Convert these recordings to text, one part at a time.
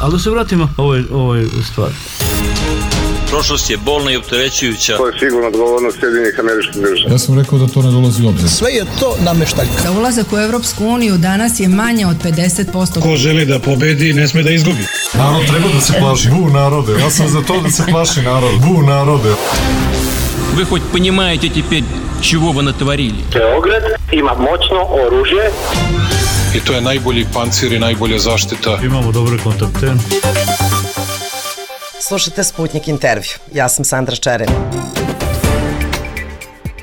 Ali da se vratimo ovoj stvari. Prošlost je bolna i opterećujuća. To je sigurno odgovornost Sjedinjenih Američkih Država. Ja sam rekao da to ne dolazi u obzir. Sve je to nameštaljka. Za ulazak u Evropsku uniju danas je manje od 50%. Ko želi da pobedi, ne sme da izgubi. Narod treba da se plaši. Bu narode. Ja sam za to da se plaši narod. Bu narode. Вы хоть понимаете теперь, чего вы натворили? Beograd ima moćno oružje. I to je najbolji pancir i najbolja zaštita. Imamo dobre kontakte. Slušajte Sputnik intervju. Ja sam Sandra Čerin.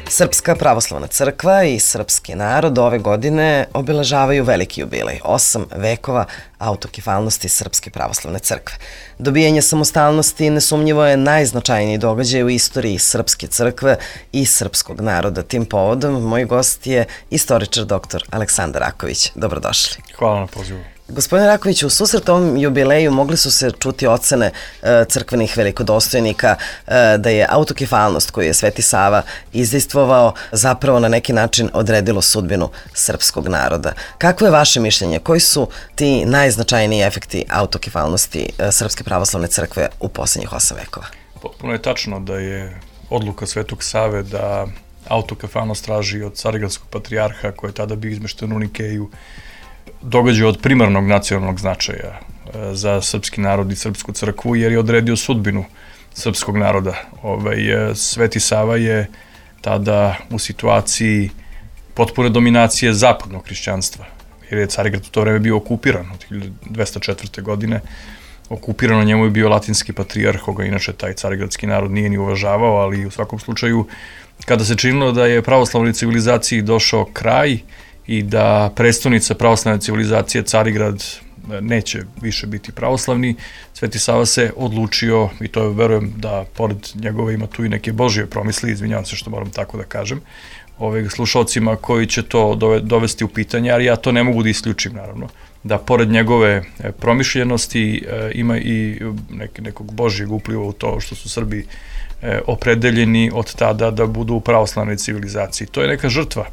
Srpska pravoslavna crkva i srpski narod ove godine obeležavaju veliki jubilej, 8 vekova autokefalnosti Srpske pravoslavne crkve. Dobijanje samostalnosti nesumnjivo je najznačajniji događaj u istoriji Srpske crkve i srpskog naroda. Tim povodom moj gost je istoričar dr. Aleksandar Raković. Dobrodošli. Hvala na pozivu. Gospodine Raković, u susret ovom jubileju mogli su se čuti ocene crkvenih velikodostojnika da je autokefalnost koju je Sveti Sava izdejstvovao zapravo na neki način odredilo sudbinu srpskog naroda. Kako je vaše mišljenje? Koji su ti najznačajniji efekti autokefalnosti Srpske pravoslavne crkve u posljednjih 8 vekova? Potpuno je tačno da je odluka Svetog Save da autokefalnost traži od Carigradskog patrijarha, koji je tada bio izmešten u Nikeju, događaj od primarnog nacionalnog značaja za srpski narod i srpsku crkvu, jer je odredio sudbinu srpskog naroda. Sveti Sava je tada u situaciji potpune dominacije zapadnog hrišćanstva, jer je Carigrad u to vreme bio okupiran od 1204. godine. Okupirano njemu je bio latinski patrijarh, koga inače taj carigradski narod nije ni uvažavao, ali u svakom slučaju, kada se činilo da je pravoslavnoj civilizaciji došao kraj i da prestonica pravoslavne civilizacije Carigrad neće više biti pravoslavni, Sveti Sava se odlučio, i to verujem da pored njegove ima tu i neke Božje promisli, izvinjavam se što moram tako da kažem, slušalcima koji će to dovesti u pitanje, ali ja to ne mogu da isključim, naravno, da pored njegove promišljenosti ima i nekog Božjeg upliva u to što su Srbi opredeljeni od tada da budu u pravoslavnoj civilizaciji. To je neka žrtva.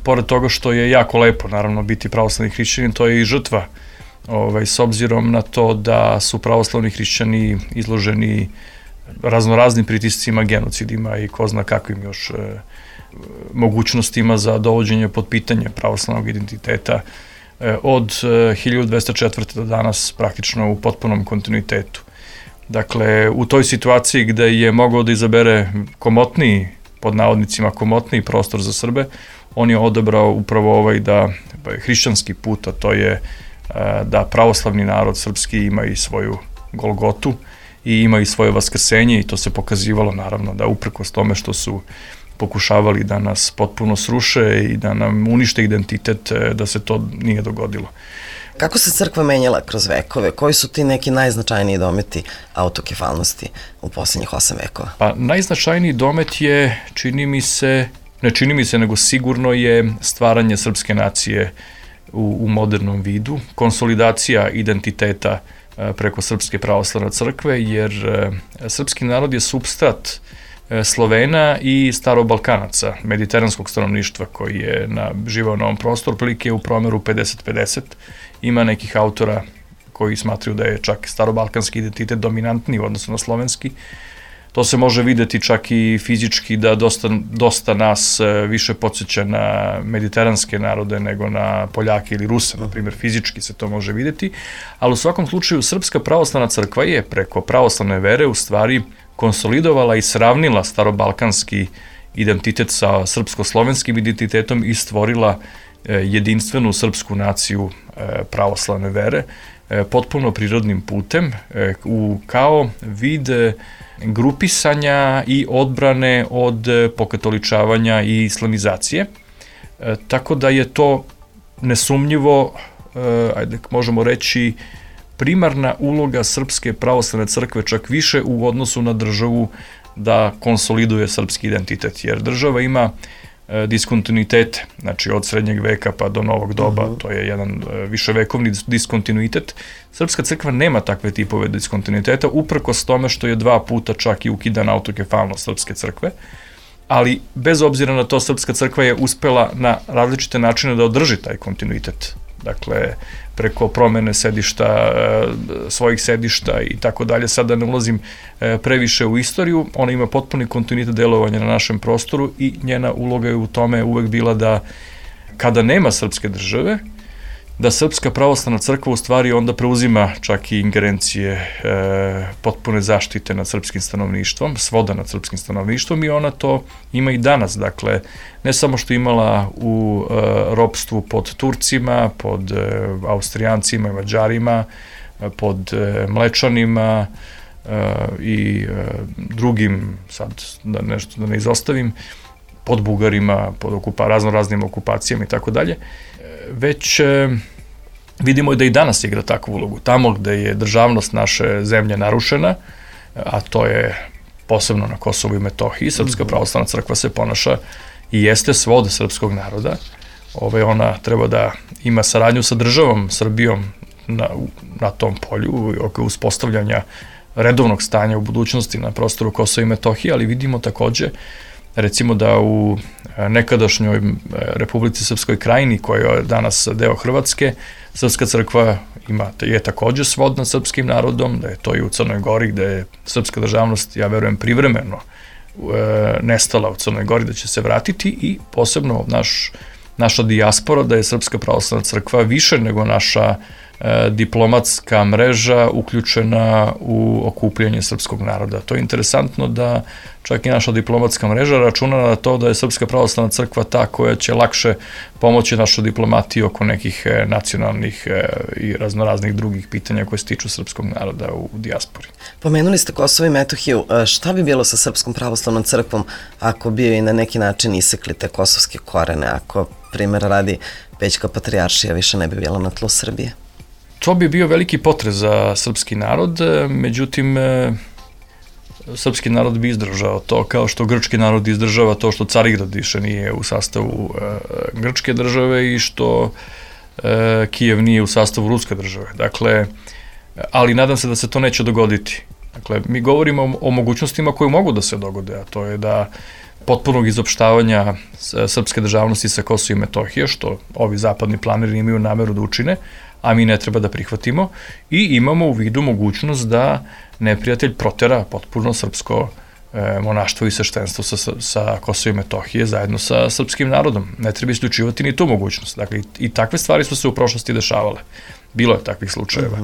Pored toga što je jako lepo, naravno, biti pravoslavni hrišćanin, to je i žrtva, s obzirom na to da su pravoslavni hrišćani izloženi raznoraznim pritiscima, genocidima i ko zna kakvim još mogućnostima za dovođenje pod pitanje pravoslavnog identiteta od 1204. do danas praktično u potpunom kontinuitetu. Dakle, u toj situaciji gde je mogao da izabere komotniji, pod navodnicima komotniji prostor za Srbe, on je odabrao upravo da hrišćanski put, a to je da pravoslavni narod srpski ima i svoju Golgotu i ima i svoje vaskrsenje, i to se pokazivalo naravno da uprkos tome što su pokušavali da nas potpuno sruše i da nam unište identitet, da se to nije dogodilo. Kako se crkva menjala kroz vekove? Koji su ti neki najznačajniji dometi autokefalnosti u posljednjih 8 vekova? Pa najznačajniji domet je, nego sigurno je stvaranje srpske nacije u modernom vidu, konsolidacija identiteta preko Srpske pravoslavne crkve, jer srpski narod je supstrat Slovena i Starobalkanaca, mediteranskog stanovništva koji je živao na ovom prostoru, prilike u promeru 50-50. Ima nekih autora koji smatraju da je čak starobalkanski identitet dominantniji u odnosu na slovenski. To se može videti čak i fizički da dosta nas više podsjeća na mediteranske narode nego na Poljake ili Ruse, na primjer, fizički se to može videti, ali u svakom slučaju Srpska pravoslavna crkva je preko pravoslavne vere u stvari konsolidovala i sravnila starobalkanski identitet sa srpsko-slovenskim identitetom i stvorila jedinstvenu srpsku naciju pravoslavne vere potpuno prirodnim putem kao vid grupisanja i odbrane od pokatoličavanja i islamizacije. Tako da je to nesumnjivo, možemo reći, primarna uloga Srpske pravoslavne crkve, čak više u odnosu na državu, da konsoliduje srpski identitet, jer država ima diskontinuitete, znači od srednjeg veka pa do novog doba, to je jedan viševekovni diskontinuitet. Srpska crkva nema takve tipove diskontinuiteta, uprkos tome što je 2 puta čak i ukidana autokefalnost Srpske crkve, ali bez obzira na to Srpska crkva je uspela na različite načine da održi taj kontinuitet. Dakle, preko promene sedišta, svojih sedišta i tako dalje. Sada ne ulazim previše u istoriju, ona ima potpuni kontinuitet delovanja na našem prostoru i njena uloga je u tome uvek bila da kada nema srpske države, da Srpska pravoslavna crkva u stvari onda preuzima čak i ingerencije potpune zaštite nad srpskim stanovništvom, svoda nad srpskim stanovništvom i ona to ima i danas. Dakle, ne samo što imala u ropstvu pod Turcima, pod Austrijancima i Mađarima, pod Mlečanima i drugim, sad da nešto da ne izostavim, pod Bugarima, pod raznoraznim okupacijama i tako dalje, već vidimo da i danas igra takvu ulogu. Tamo gde je državnost naše zemlje narušena, a to je posebno na Kosovu i Metohiji, Srpska pravoslavna crkva se ponaša i jeste svod srpskog naroda. Ona treba da ima saradnju sa državom Srbijom na tom polju, oko uspostavljanja redovnog stanja u budućnosti na prostoru Kosova i Metohije, ali vidimo takođe recimo da u nekadašnjoj Republici Srpskoj Krajini, koja je danas deo Hrvatske, Srpska crkva je takođe svod nad srpskim narodom, da je to i u Crnoj Gori, gde je srpska državnost, ja verujem, privremeno nestala u Crnoj Gori, da će se vratiti i posebno naša dijaspora, da je Srpska pravoslavna crkva više nego naša diplomatska mreža uključena u okupljanje srpskog naroda. To je interesantno da čak i naša diplomatska mreža računa na to da je Srpska pravoslavna crkva ta koja će lakše pomoći našoj diplomatiji oko nekih nacionalnih i raznoraznih drugih pitanja koje se tiču srpskog naroda u dijaspori. Pomenuli ste Kosovo i Metohiju. Šta bi bilo sa Srpskom pravoslavnom crkvom ako bi joj na neki način isekli te kosovske korene, ako, primjer radi, Pećka patrijaršija više ne bi bila na tlu Srbije? To bi bio veliki potres za srpski narod, međutim, srpski narod bi izdržao to, kao što grčki narod izdržava to što Carigrad više nije u sastavu grčke države i što Kijev nije u sastavu ruske države. Dakle, ali nadam se da se to neće dogoditi. Dakle, mi govorimo o mogućnostima koje mogu da se dogode, a to je da potpunog izopštavanja srpske državnosti sa Kosova i Metohije, što ovi zapadni planeri imaju nameru da učine, a mi ne treba da prihvatimo, i imamo u vidu mogućnost da neprijatelj protera potpuno srpsko monaštvo i sveštenstvo sa Kosova i Metohije zajedno sa srpskim narodom. Ne treba isključivati ni tu mogućnost. Dakle, i takve stvari su se u prošlosti dešavale. Bilo je takvih slučajeva.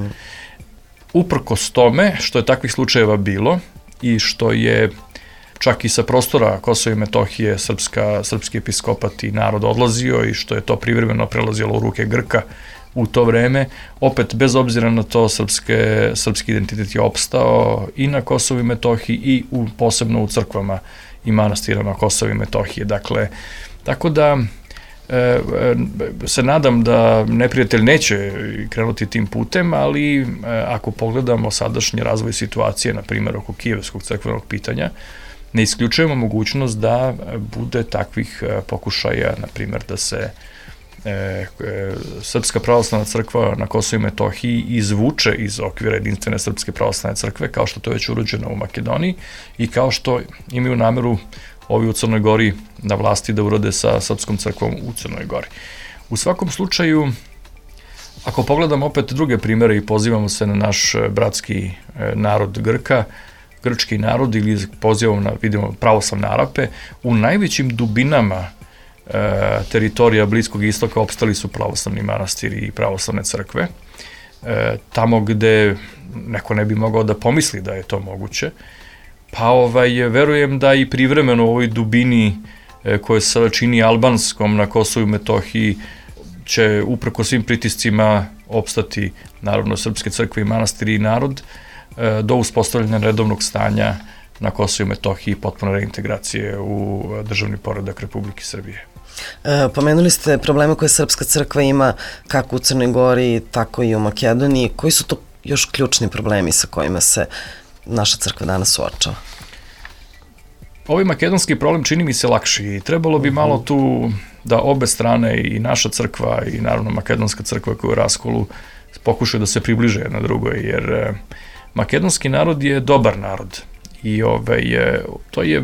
Uprkos tome što je takvih slučajeva bilo i što je čak i sa prostora Kosova i Metohije srpski episkopat i narod odlazio i što je to privremeno prelazilo u ruke Grka u to vreme, opet bez obzira na to srpski identitet je opstao i na Kosovu i Metohiji i posebno u crkvama i manastirama Kosova i Metohije. Dakle, tako da se nadam da neprijatelj neće krenuti tim putem, ali ako pogledamo sadašnji razvoj situacije, na primjer oko kijevskog crkvenog pitanja, ne isključujemo mogućnost da bude takvih pokušaja, na primjer da se Srpska pravoslavna crkva na Kosovu i Metohiji izvuče iz okvira jedinstvene Srpske pravoslavne crkve, kao što to je već urađeno u Makedoniji i kao što imaju nameru ovi u Crnoj Gori na vlasti da urade sa Srpskom crkvom u Crnoj Gori. U svakom slučaju, ako pogledamo opet druge primere i pozivamo se na naš bratski narod Grka, grčki narod, ili pozivamo na, vidimo, pravoslavne Arape, u najvećim dubinama teritorija Bliskog istoka opstali su pravoslavni manastiri i pravoslavne crkve. Tamo gde neko ne bi mogao da pomisli da je to moguće, pa verujem da i privremeno u ovoj dubini koje se čini albanskom na Kosovu i Metohiji će upreko svim pritiscima opstati naravno srpske crkve i manastiri i narod do uspostavljanja redovnog stanja na Kosovu i Metohiji i potpune reintegracije u državni poredak Republike Srbije. Pomenuli ste probleme koje Srpska crkva ima kako u Crnoj Gori, tako i u Makedoniji. Koji su to još ključni problemi sa kojima se naša crkva danas suočava? Ovaj makedonski problem čini mi se lakši i trebalo bi malo tu da obe strane, i naša crkva i naravno makedonska crkva koja je u raskolu, pokušaju da se približe jedna drugoj, jer makedonski narod je dobar narod i to je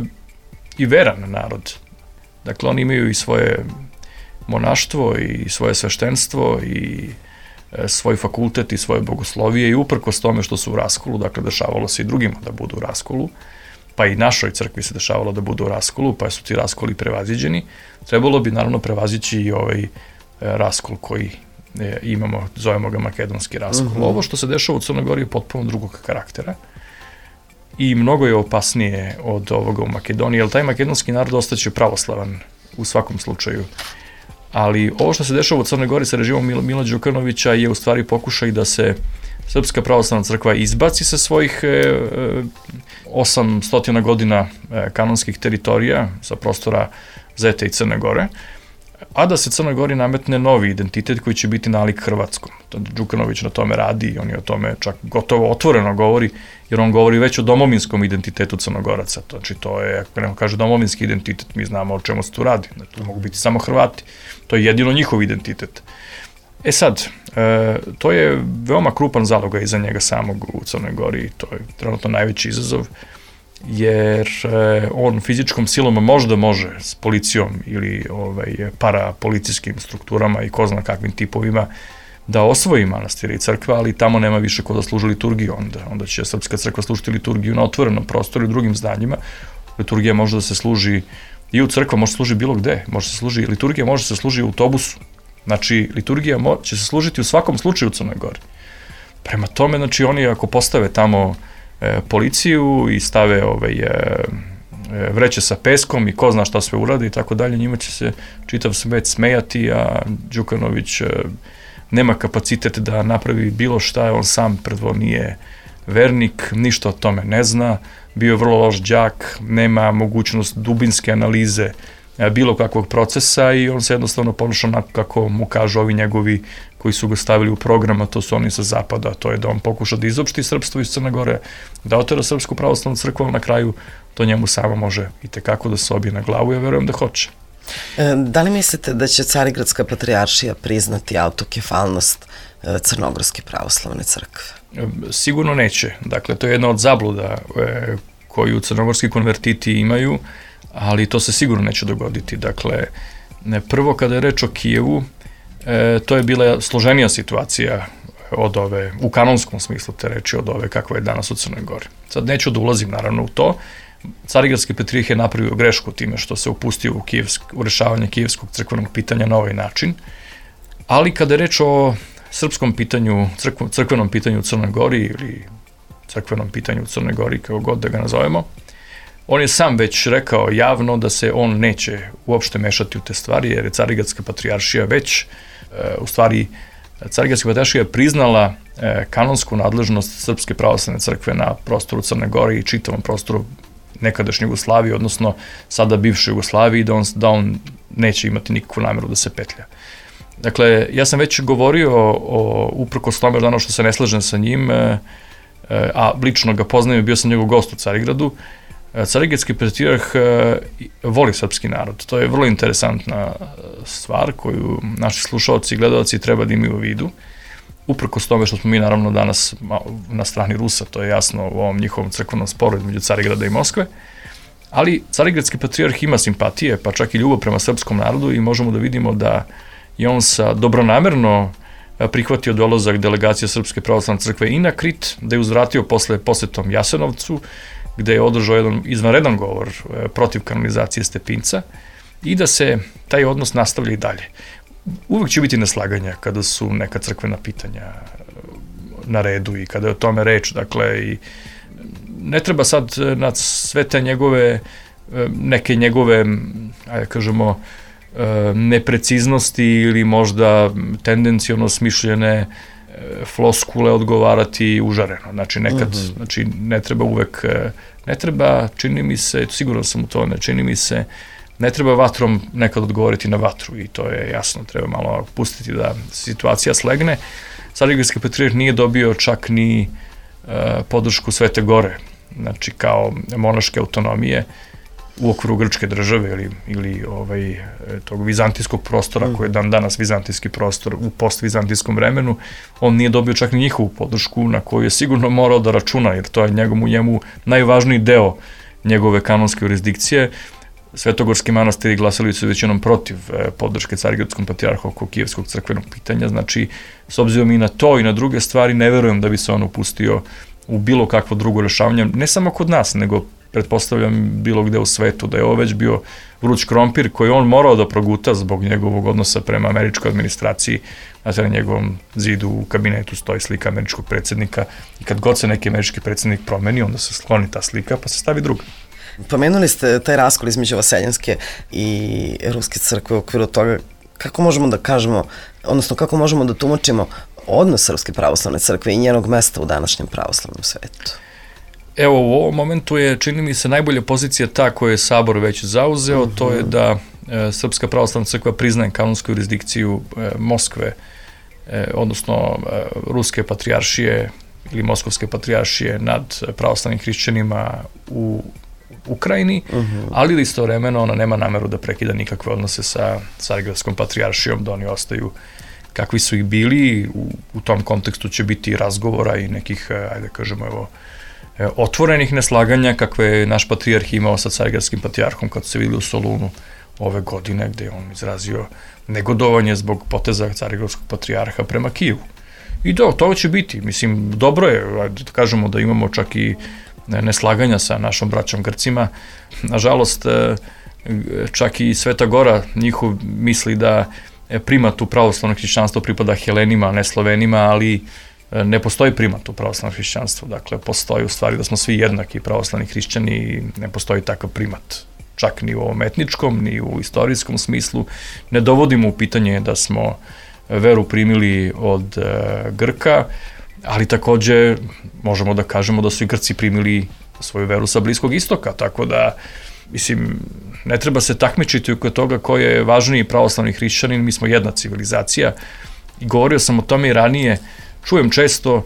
i veran narod. Dakle, oni imaju i svoje monaštvo i svoje sveštenstvo i svoj fakultet i svoje bogoslovije i uprkos tome što su u raskolu, dakle dešavalo se i drugima da budu u raskolu, pa i našoj crkvi se dešavalo da budu u raskolu, pa su ti raskoli prevaziđeni, trebalo bi naravno prevazići i ovaj raskol koji imamo, zovemo ga makedonski raskol. Ovo što se dešava u Crnoj Gori je potpuno drugog karaktera i mnogo je opasnije od ovoga u Makedoniji, jer taj makedonski narod ostaće pravoslavan u svakom slučaju. Ali ovo što se dešava u Crnoj Gori sa režimom Mila Đukanovića je u stvari pokušaj da se Srpska pravoslavna crkva izbaci sa svojih 800 godina kanonskih teritorija sa prostora Zete i Crne Gore, a da se Crnoj Gori nametne novi identitet koji će biti nalik hrvatskom. Đukanović na tome radi i on je o tome čak gotovo otvoreno govori, jer on govori već o domovinskom identitetu Crnogoraca. Znači to je, ako neko kaže domovinski identitet, mi znamo o čemu se tu radi. To mogu biti samo Hrvati. To je jedino njihov identitet. E sad, to je veoma krupan zalogaj iza njega samog u Crnoj Gori i to je trenutno najveći izazov, jer on fizičkom silom možda može s policijom ili parapolicijskim strukturama i ko zna kakvim tipovima da osvoji manastire i crkve, ali tamo nema više ko da služi liturgiju, onda će Srpska crkva služiti liturgiju na otvorenom prostoru i drugim zdanjima. Liturgija može da se služi i u crkva, može se služi bilo gde, liturgija može se služi u autobusu. Znači, liturgija će se služiti u svakom slučaju u Crnoj Gori. Prema tome, znači, oni ako postave tamo policiju i stave vreće sa peskom i ko zna šta sve urade i tako dalje, njima će se čitav svet smejati, a Đukanović nema kapacitet da napravi bilo šta, on sam prvo nije vernik, ništa o tome ne zna, bio je vrlo loš đak, nema mogućnost dubinske analize bilo kakvog procesa i on se jednostavno ponaša onako kako mu kažu ovi njegovi koji su ga stavili u program, a to su oni sa zapada, to je da on pokuša da izopšti srpstvo iz Crne Gore, da otera Srpsku pravoslavnu crkvu, na kraju to njemu samo može i tekako da se obije na glavu, ja verujem da hoće. Da li mislite da će Carigradska patrijaršija priznati autokefalnost Crnogorske pravoslavne crkve? Sigurno neće. Dakle, to je jedna od zabluda koju crnogorski konvertiti imaju, ali to se sigurno neće dogoditi. Dakle, prvo kada je reč o Kijevu, to je bila složenija situacija od ove, u kanonskom smislu te reči, od ove kakva je danas u Crnoj Gori. Sad neću da ulazim naravno u to. Carigradski patrijarh je napravio grešku time što se upustio u rešavanje kijevskog crkvenog pitanja na ovaj način, ali kada je reč o srpskom pitanju, crkvenom pitanju u Crnoj Gori ili crkvenom pitanju u Crnoj Gori, kako god da ga nazovemo, on je sam već rekao javno da se on neće uopšte mešati u te stvari, jer je Carigradska patrijaršija već, u stvari, Carigradska patrijaršija je priznala kanonsku nadležnost Srpske pravoslavne crkve na prostoru Crne Gore i čitavom prostoru nekadašnje Jugoslavije, odnosno sada bivše Jugoslavije, i da on neće imati nikakvu nameru da se petlja. Dakle, ja sam već govorio uprkos tome da ono što se ne slažem sa njim, a lično ga poznajem i bio sam njegov gost u Carigradu, Carigradski patrijarh voli srpski narod. To je vrlo interesantna stvar koju naši slušalci i gledalci treba da imaju u vidu. Uprkos tome što smo mi naravno danas na strani Rusa, to je jasno u ovom njihovom crkvenom sporu između Carigrada i Moskve, ali Carigradski patrijarh ima simpatije, pa čak i ljubav prema srpskom narodu i možemo da vidimo da je on dobronamerno prihvatio dolazak delegacije Srpske pravoslavne crkve i na Krit, da je uzvratio posle posetom Jasenovcu, gde je održao jedan izvanredan govor protiv kanonizacije Stepinca i da se taj odnos nastavlja i dalje. Uvek će biti neslaganja kada su neka crkvena pitanja na redu i kada je o tome reč, dakle, i ne treba sad na sve te neke njegove, ajde kažemo, nepreciznosti ili možda tendenciono smišljene floskule odgovarati užareno. Znači, nekad, znači, ne treba uvek, ne treba, čini mi se, sigurno sam u to, čini mi se, ne treba vatrom nekad odgovoriti na vatru i to je jasno, treba malo pustiti da situacija slegne. Carigradski patrijarh nije dobio čak ni podršku Svete Gore, znači kao monaške autonomije u okviru grčke države ili tog vizantijskog prostora koji je dan danas vizantijski prostor u postvizantijskom vremenu, on nije dobio čak ni njihovu podršku na koju je sigurno morao da računa, jer to je njemu najvažniji deo njegove kanonske jurisdikcije. Svetogorski manastiri glasali su većinom protiv podrške Carigradskom patrijarhu oko kijevskog crkvenog pitanja. Znači, s obzirom i na to i na druge stvari, ne verujem da bi se on upustio u bilo kakvo drugo rešavanje, ne samo kod nas, nego pretpostavljam bilo gde u svetu, da je ovo već bio vruć krompir koji on morao da proguta zbog njegovog odnosa prema američkoj administraciji. Znači, na njegovom zidu u kabinetu stoji slika američkog predsjednika i kad god se neki američki predsjednik promeni, onda se skloni ta slika pa se stavi druga. Pomenuli ste taj raskol između vaseljanske i ruske crkve u okviru toga. Kako možemo da kažemo, odnosno kako možemo da tumačimo odnos Srpske pravoslavne crkve i njenog mesta u današnjem pravoslavnom svetu? Evo, u ovom momentu je, čini mi se, najbolja pozicija ta koju je Sabor već zauzeo, to je da Srpska pravoslavna crkva priznaje kanonsku jurisdikciju Moskve, odnosno Ruske patrijaršije ili Moskovske patrijaršije nad pravoslavnim hrišćanima u Ukrajini, ali istovremeno ona nema nameru da prekida nikakve odnose sa Carigradskom patrijaršijom, da oni ostaju kakvi su ih bili. U tom kontekstu će biti razgovora i nekih, ajde kažemo, evo, otvorenih neslaganja kakve je naš patrijarh imao sa Carigradskim patrijarhom kad se videli u Solunu ove godine, gde je on izrazio negodovanje zbog poteza Carigradskog patrijarha prema Kijevu. I to će biti. Mislim, dobro je, da kažemo da imamo čak i neslaganja sa našom braćom Grcima. Nažalost, čak i Sveta Gora njihov misli da primat u pravoslavno hrišćanstvo pripada Helenima, a ne Slovenima, ali ne postoji primat u pravoslavnom hrišćanstvu. Dakle, postoji u stvari da smo svi jednaki pravoslavni hrišćani i ne postoji takav primat. Čak ni u ovom etničkom, ni u istorijskom smislu. Ne dovodimo u pitanje da smo veru primili od Grka, ali takođe možemo da kažemo da su i Grci primili svoju veru sa Bliskog istoka, tako da, mislim, ne treba se takmičiti oko toga ko je važniji pravoslavni hrišćanin, mi smo jedna civilizacija i govorio sam o tome i ranije, čujem često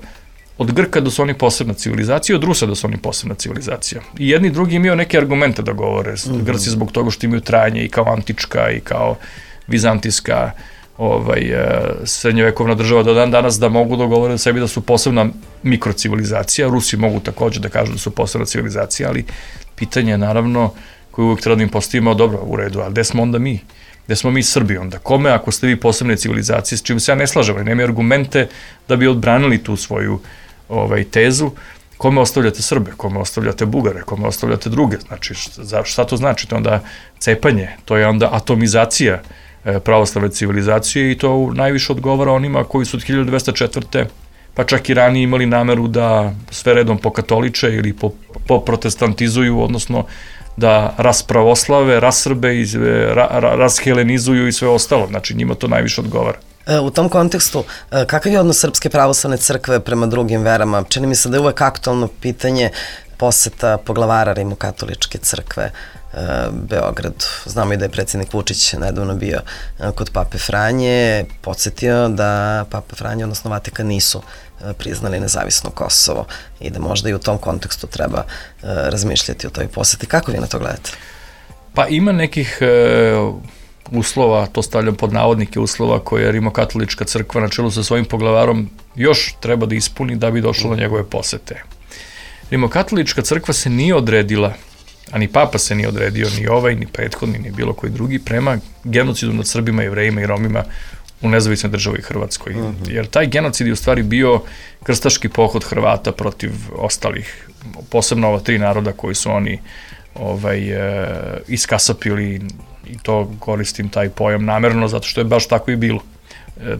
od Grka da su oni posebna civilizacija, od Rusa da su oni posebna civilizacija. I jedni i drugi imaju neke argumente da govore, Grci zbog toga što imaju trajanje i kao antička i kao vizantijska srednjevekovna država do dan danas, da mogu da govore o sebi da su posebna mikrocivilizacija. Rusi mogu takođe da kažu da su posebna civilizacija, ali pitanje je naravno koje uvijek treba da im postavimo, dobro, u redu, ali gde smo onda mi? Gde smo mi Srbi onda? Kome ako ste vi posebne civilizacije, s čim se ja ne slažem, ali nemaju argumente da bi odbranili tu svoju tezu, kome ostavljate Srbe, kome ostavljate Bugare, kome ostavljate druge, znači šta to znači? To je onda cepanje, to je onda atomizacija pravoslavne civilizacije i to najviše odgovara onima koji su od 1204. pa čak i ranije imali nameru da sve redom pokatoliče ili poprotestantizuju, odnosno da raspravoslave, rasrbe, rashelenizuju i sve ostalo. Znači njima to najviše odgovara. U tom kontekstu, kakav je odnos Srpske pravoslavne crkve prema drugim verama? Čini mi se da je uvek aktualno pitanje poseta poglavara Rimokatoličke crkve Beogradu. Znamo i da je predsjednik Vučić nedavno bio kod Pape Franje, podsjetio da Papa Franje, odnosno Vatikan, nisu priznali nezavisno Kosovo i da možda i u tom kontekstu treba razmišljati o toj poseti. Kako vi na to gledate? Pa ima nekih uslova, to stavljam pod navodnike, uslova koje Rimokatolička crkva na čelu sa svojim poglavarom još treba da ispuni da bi došlo do njegove posete. Rimokatolička crkva se nije odredila, a ni Papa se nije odredio, ni ovaj, ni prethodni, ni bilo koji drugi, prema genocidu nad Srbima, Jevrejima i Romima u nezavisnoj državi Hrvatskoj. Jer taj genocid je u stvari bio krstaški pohod Hrvata protiv ostalih, posebno ova 3 naroda koji su oni iskasapili, i to koristim taj pojam namerno, zato što je baš tako i bilo.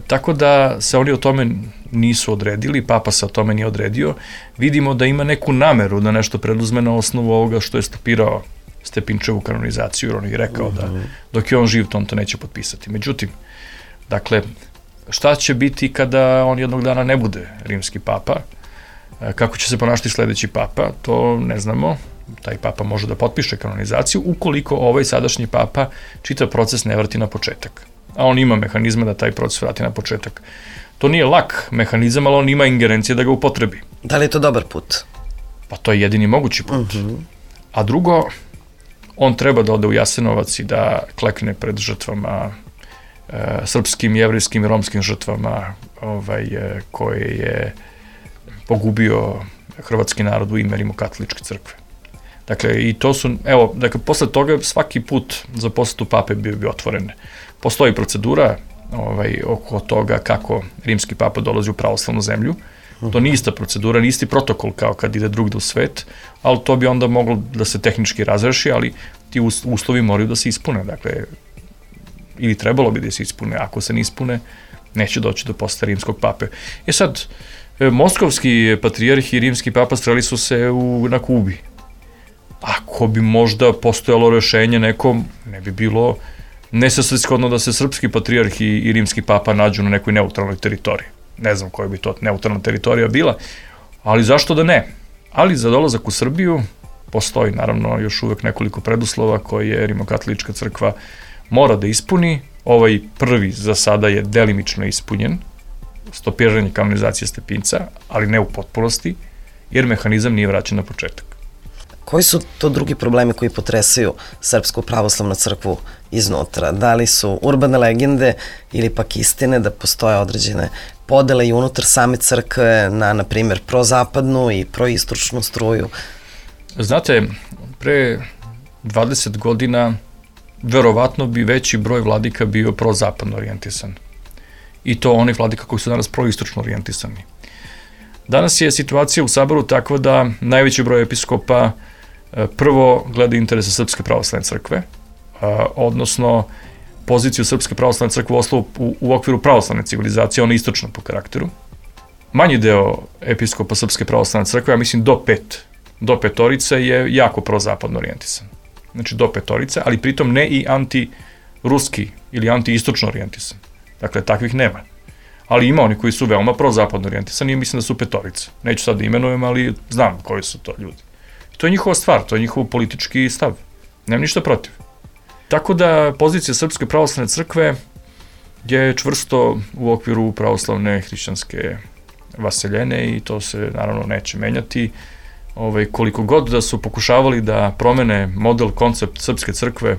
Tako da se oni o tome nisu odredili, Papa se o tome nije odredio. Vidimo da ima neku nameru da nešto preduzme na osnovu ovoga što je stopirao Stepinčevu kanonizaciju, jer on je rekao da dok je on živ, to on to neće potpisati. Međutim, dakle, šta će biti kada on jednog dana ne bude rimski papa? Kako će se ponašati sledeći papa? To ne znamo. Taj papa može da potpiše kanonizaciju ukoliko ovaj sadašnji papa čitav proces ne vrati na početak. A on ima mehanizme da taj proces vrati na početak. To nije lak mehanizam, ali on ima ingerencije da ga upotrebi. Da li je to dobar put? Pa to je jedini mogući put. A drugo, on treba da ode u Jasenovac i da klekne pred žrtvama, srpskim, jevrejskim i romskim žrtvama koje je pogubio hrvatski narod u ime Rimokatoličke crkve. Dakle, i to su, evo, dakle, posle toga svaki put za posetu pape bio otvoren. Postoji procedura oko toga kako rimski papa dolazi u pravoslavnu zemlju. To nije ista procedura, nije isti protokol kao kad ide drugde u svet, ali to bi onda moglo da se tehnički razreši, ali ti uslovi moraju da se ispune, dakle, ili trebalo bi da se ispune, ako se ne ispune, neće doći do posete rimskog pape. Sad, moskovski patrijarh i rimski papa sreli su se na Kubi. Ako bi možda postojalo rešenje nekom, ne bi bilo nesvrsishodno da se srpski patrijarh i rimski papa nađu na nekoj neutralnoj teritoriji. Ne znam koja bi to neutralna teritorija bila, ali zašto da ne? Ali za dolazak u Srbiju postoji naravno još uvek nekoliko preduslova koje Rimokatolička crkva mora da ispuni. Ovaj prvi za sada je delimično ispunjen, stopiranje kanonizacije Stepinca, ali ne u potpunosti, jer mehanizam nije vraćen na početak. Koji su to drugi problemi koji potresaju Srpsku pravoslavnu crkvu iznutra? Da li su urbane legende ili pak istine da postoje određene podele i unutar same crkve na primjer, prozapadnu i proistočnu struju? Znate, pre 20 godina verovatno bi veći broj vladika bio prozapadno orijentisan. I to onih vladika koji su danas proistočno orijentisani. Danas je situacija u Saboru takva da najveći broj episkopa prvo gleda interese Srpske pravoslavne crkve, odnosno poziciju Srpske pravoslavne crkve u okviru pravoslavne civilizacije, ona je istočna po karakteru. Manji deo episkopa Srpske pravoslavne crkve, ja mislim do petorice je jako prozapadno orijentisan. Znači do petorice, ali pritom ne i anti-ruski ili anti-istočno orijentisan. Dakle, takvih nema. Ali ima oni koji su veoma prozapadno orijentisani i mislim da su petorice. Neću sad da imenujem, ali znam koji su to ljudi. I to je njihova stvar, to je njihov politički stav. Nemam ništa protiv. Tako da pozicija Srpske pravoslavne crkve je čvrsto u okviru pravoslavne hrišćanske vaseljene i to se naravno neće menjati. Koliko god da su pokušavali da promene model, koncept Srpske crkve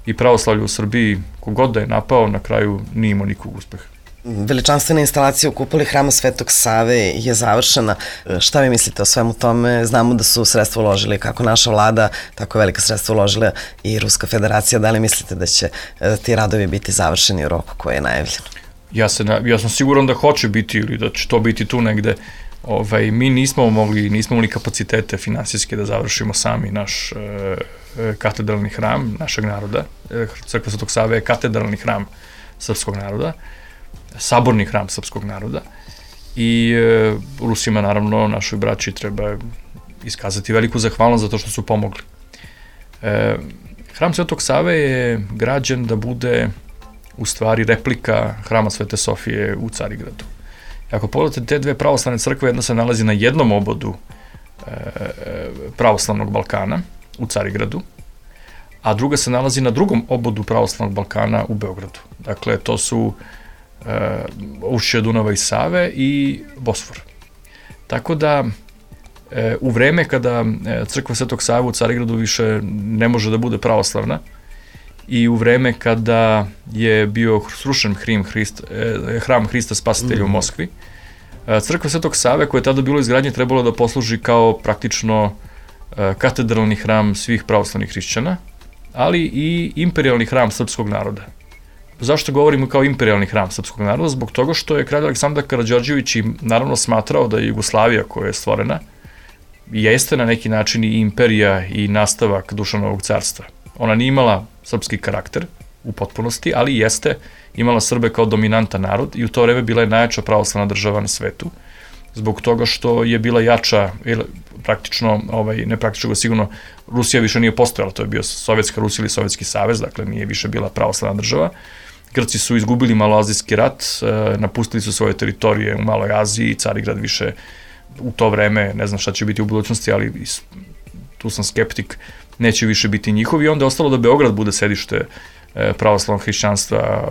i pravoslavlja u Srbiji, kogod da je napao, na kraju nije imao nikog uspeha. Veličanstvena instalacija u kupoli Hrama Svetog Save je završena. Šta vi mislite o svemu tome? Znamo da su sredstva uložili kako naša vlada, tako velika sredstva uložila i Ruska federacija. Da li mislite da će ti radovi biti završeni u roku koji je najavljen? Ja sam siguran da hoće biti ili da će to biti tu negde. Mi nismo imali kapacitete finansijske da završimo sami naš katedralni hram našeg naroda. Crkva Svetog Save je katedralni hram srpskog naroda, saborni hram srpskog naroda i Rusima, naravno, našoj braći treba iskazati veliku zahvalnost za to što su pomogli. Hram Svetog Save je građen da bude u stvari replika hrama Svete Sofije u Carigradu. Ako pogledate te dve pravoslavne crkve, jedna se nalazi na jednom obodu pravoslavnog Balkana u Carigradu, a druga se nalazi na drugom obodu pravoslavnog Balkana u Beogradu. Dakle, to su ušće Dunava i Save i Bosfor. Tako da, u vreme kada crkva Svetog Save u Carigradu više ne može da bude pravoslavna i u vreme kada je bio srušen hram Hrista Spasitelja u Moskvi, crkva Svetog Save, koja je tada bilo izgradnje, trebalo da posluži kao praktično katedralni hram svih pravoslavnih hrišćana, ali i imperijalni hram srpskog naroda. Zašto govorimo kao imperijalni hram srpskog naroda? Zbog toga što je kralj Aleksandar Karađorđević naravno smatrao da je Jugoslavija koja je stvorena jeste na neki način i imperija i nastavak Dušanovog carstva. Ona nije imala srpski karakter u potpunosti, ali jeste imala Srbe kao dominantan narod i u to vreme bila je najjača pravoslavna država na svetu. Zbog toga što je bila jača, praktično, ne praktično, sigurno, Rusija više nije postojala, to je bio Sovjetska Rusija ili Sovjetski savez, dakle nije više bila pravoslavna država. Grci su izgubili Maloazijski rat, napustili su svoje teritorije u Maloj Aziji, Carigrad više u to vreme, ne znam šta će biti u budućnosti, ali tu sam skeptik, neće više biti njihov i onda je ostalo da Beograd bude sedište pravoslavnog hrišćanstva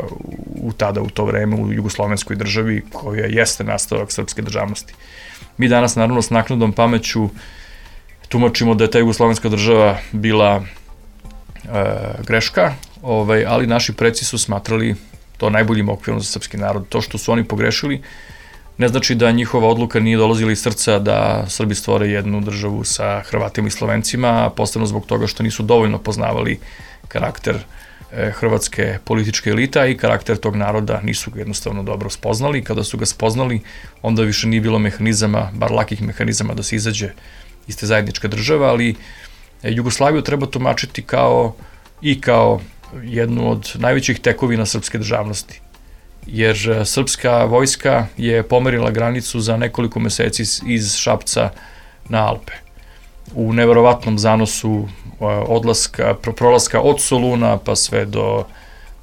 u to vreme u jugoslovenskoj državi koja jeste nastavak srpske državnosti. Mi danas naravno s naknadnom pameću tumačimo da je ta jugoslovenska država bila greška, ali naši preci su smatrali to najboljim okvirom za srpski narod. To što su oni pogrešili ne znači da njihova odluka nije dolazila iz srca da Srbi stvore jednu državu sa Hrvatima i Slovencima, posebno zbog toga što nisu dovoljno poznavali karakter hrvatske političke elita i karakter tog naroda nisu ga jednostavno dobro spoznali. Kada su ga spoznali, onda više nije bilo mehanizama, bar lakih mehanizama da se izađe iz te zajedničke države, ali Jugoslaviju treba tumačiti kao jednu od najvećih tekovina srpske državnosti. Jer srpska vojska je pomerila granicu za nekoliko meseci iz Šapca na Alpe. U neverovatnom zanosu prolaska od Soluna pa sve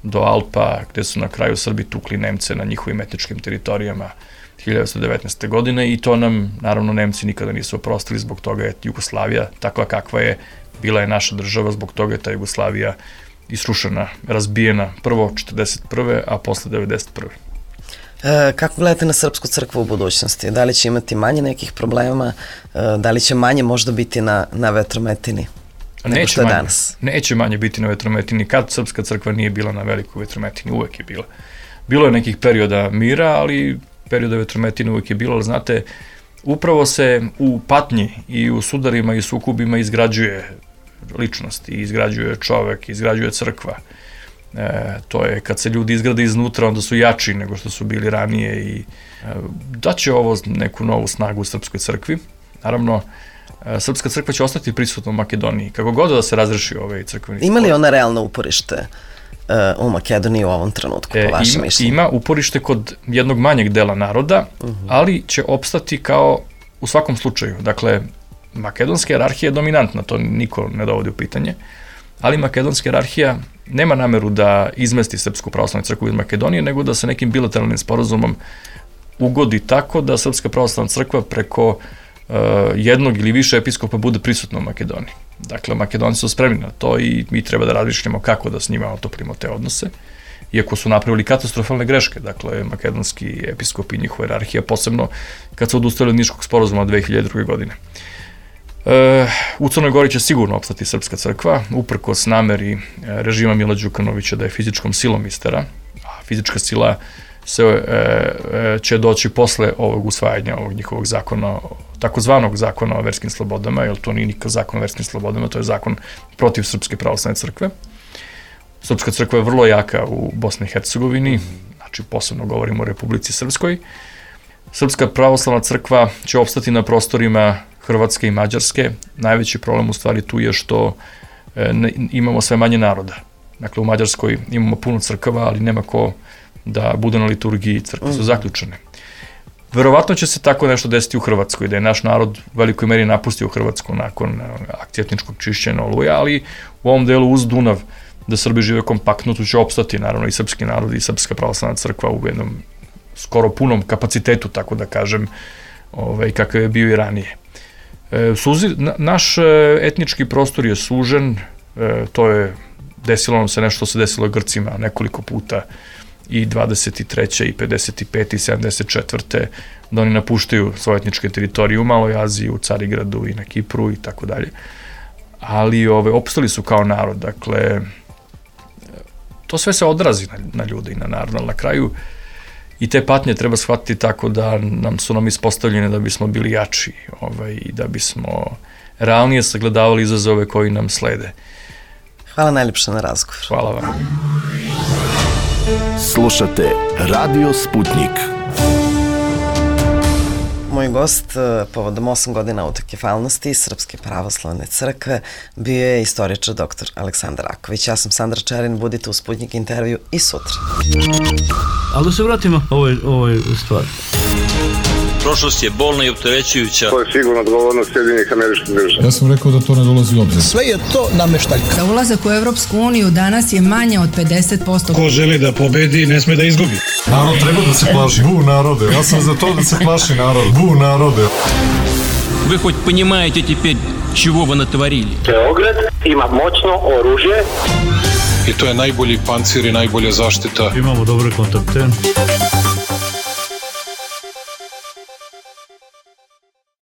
do Alpa, gde su na kraju Srbi tukli Nemce na njihovim etničkim teritorijama 1919. godine i to nam, naravno, Nemci nikada nisu oprostili, zbog toga je Jugoslavija takva kakva je, bila je naša država, zbog toga je ta Jugoslavija isrušena, razbijena prvo 1941. a posle 1991. Kako gledate na Srpsku crkvu u budućnosti? Da li će imati manje nekih problema? Da li će manje možda biti na vetrometini nego što je danas? Neće manje biti na vetrometini. Kad Srpska crkva nije bila na velikoj vetrometini? Uvek je bila. Bilo je nekih perioda mira, ali perioda vetrometine uvek je bilo, ali znate, upravo se u patnji i u sudarima i sukobima izgrađuje ličnost i izgrađuje čovek, izgrađuje crkva. To je kad se ljudi izgrade iznutra, onda su jači nego što su bili ranije i daće ovo neku novu snagu u Srpskoj crkvi. Naravno, Srpska crkva će ostati prisutna u Makedoniji, kako god da se razreši ovaj crkveni spor. Ima li ona realno uporište u Makedoniji u ovom trenutku, po vašem mišljenju? Ima uporište kod jednog manjeg dela naroda, ali će opstati kao u svakom slučaju. Dakle, makedonska jerarhija je dominantna, to niko ne dovodi u pitanje, ali makedonska jerarhija nema nameru da izmesti Srpsku pravoslavnu crkvu iz Makedonije, nego da se nekim bilateralnim sporazumom ugodi tako da Srpska pravoslavna crkva preko jednog ili više episkopa bude prisutna u Makedoniji. Dakle, Makedonci su spremni na to i mi treba da razmišljamo kako da s njima otoplimo te odnose, iako su napravili katastrofalne greške, dakle, makedonski episkop i njihova jerarhija, posebno kad su odustali od Niškog sporazuma od 2002. godine. U Crnoj Gori će sigurno opstati Srpska crkva, uprkos nameri režima Mila Đukanovića da je fizičkom silom istera, a fizička sila će doći posle ovog usvajanja ovog njihovog zakona, takozvanog zakona o verskim slobodama, jer to nije nikakav zakon o verskim slobodama, to je zakon protiv Srpske pravoslavne crkve. Srpska crkva je vrlo jaka u Bosni i Hercegovini, znači posebno govorimo o Republici Srpskoj. Srpska pravoslavna crkva će opstati na prostorima Hrvatske i Mađarske. Najveći problem u stvari tu je što imamo sve manje naroda. Dakle, u Mađarskoj imamo puno crkava, ali nema ko da bude na liturgiji, crkve su zaključene. Verovatno će se tako nešto desiti u Hrvatskoj, da je naš narod u velikoj meri napustio Hrvatsku nakon akcije etničkog čišćenja Oluja, ali u ovom delu uz Dunav, da Srbi žive kompaktno, tu će opstati naravno i srpski narod i Srpska pravoslavna crkva u jednom skoro punom kapacitetu, tako da kažem, kakav je bio i ranije. Naš etnički prostor je sužen, desilo nam se nešto što se desilo Grcima nekoliko puta i 23. i 55. i 74. da oni napuštaju svoje etničke teritorije u Maloj Aziji, u Carigradu i na Kipru i tako dalje. Ali opstali su kao narod, dakle, to sve se odrazi na ljude i na narod, ali na kraju i te patnje treba shvatiti tako da su nam ispostavljene da bismo bili jači i da bismo realnije sagledavali izazove koji nam slede. Hvala najljepše na razgovor. Hvala vam. Slušate Radio Sputnik. Moj gost povodom 8 godina autokefalnosti Srpske pravoslavne crkve bio je istoričar dr. Aleksandar Raković. Ja sam Sandra Čerin, budite u Sputnik intervju i sutra. Ali da se vratimo ovoj stvari. Prošlost je bolna i opterećujuća. To je sigurno odgovornost Sjedinjenih Američkih Država. Ja sam rekao da to ne dolazi u obzir. Sve je to nameštaljka. Za ulazak u Evropsku uniju danas je manje od 50%. Ko želi da pobedi, ne sme da izgubi. Narod treba da se plaši. Bu narode. Ja sam za to da se plaši narod. Bu narode. Вы хоть понимаете теперь, чего вы натворили? Beograd ima moćno oružje. I to je najbolji pancir i najbolja zaštita. Imamo dobre kontakte.